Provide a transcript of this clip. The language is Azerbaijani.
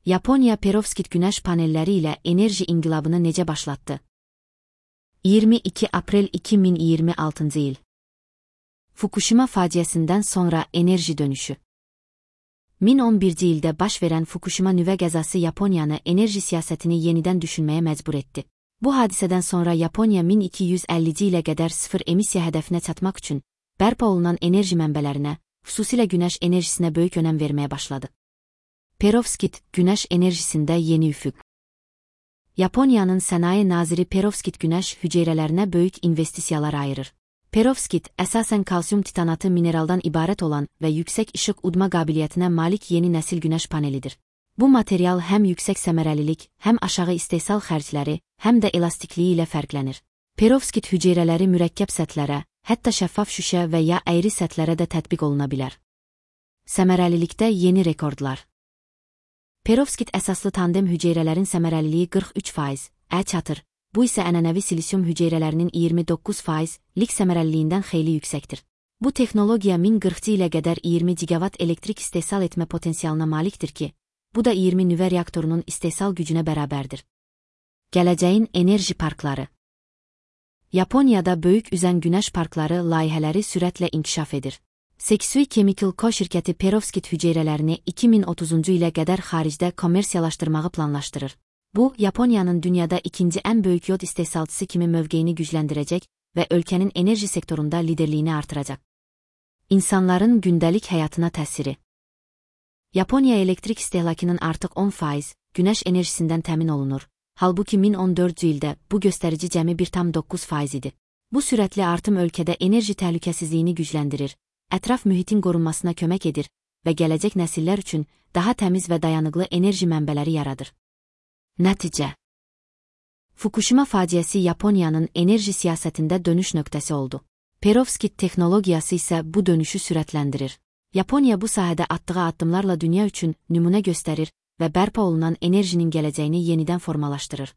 Yaponiya perovskit günəş panelləri ilə enerji inqilabını necə başlatdı? 22 aprel 2026 il. Fukushima faciəsindən sonra enerji dönüşü. 2011-ci ildə baş verən Fukushima nüvə qəzası Yaponiyanı enerji siyasətini yenidən düşünməyə məcbur etdi. Bu hadisədən sonra Yaponiya 1250-ci ilə qədər sıfır emissiya hədəfinə çatmaq üçün bərpa olunan enerji mənbələrinə, xüsusilə günəş enerjisinə böyük önəm verməyə başladı. Perovskit, günəş enerjisində yeni üfüq. Yaponiyanın sənaye naziri perovskit günəş hüceyrələrinə böyük investisiyalar ayırır. Perovskit, əsasən kalsium titanatı mineraldan ibarət olan və yüksək işıq udma qabiliyyətinə malik yeni nəsil günəş panelidir. Bu material həm yüksək səmərəlilik, həm aşağı istehsal xərcləri, həm də elastikliyi ilə fərqlənir. Perovskit hüceyrələri mürəkkəb səthlərə, hətta şəffaf şüşə və ya əyri səthlərə də tətbiq oluna bilər. Səmərəlilikdə yeni rekordlar. Perovskit əsaslı tandem hüceyrələrin səmərəliliyi 43%, çatır. Bu isə ənənəvi silisium hüceyrələrinin 29%lik səmərəliliyindən xeyli yüksəkdir. Bu texnologiya 1040-cı ilə qədər 20 gigavat elektrik istehsal etmə potensialına malikdir ki, bu da 20 nüvə reaktorunun istehsal gücünə bərabərdir. Gələcəyin enerji parkları. Yaponiyada böyük üzən günəş parkları layihələri sürətlə inkişaf edir. Seksui Chemical Co. şirkəti perovskit hüceyrələrini 2030-cu ilə qədər xaricdə kommersiyalaşdırmağı planlaşdırır. Bu, Yaponiyanın dünyada ikinci ən böyük yod istehsalçısı kimi mövqeyini gücləndirəcək və ölkənin enerji sektorunda liderliyini artıracaq. İnsanların gündəlik həyatına təsiri. Yaponiya elektrik istehlakının artıq 10% günəş enerjisindən təmin olunur. Halbuki 2014-cü ildə bu göstərici cəmi 1,9% idi. Bu sürətli artım ölkədə enerji təhlükəsizliyini gücləndirir, ətraf mühitin qorunmasına kömək edir və gələcək nəsillər üçün daha təmiz və dayanıqlı enerji mənbələri yaradır. Nəticə. Fukushima faciəsi Yaponiyanın enerji siyasətində dönüş nöqtəsi oldu. Perovskit texnologiyası isə bu dönüşü sürətləndirir. Yaponiya bu sahədə atdığı addımlarla dünya üçün nümunə göstərir və bərpa olunan enerjinin gələcəyini yenidən formalaşdırır.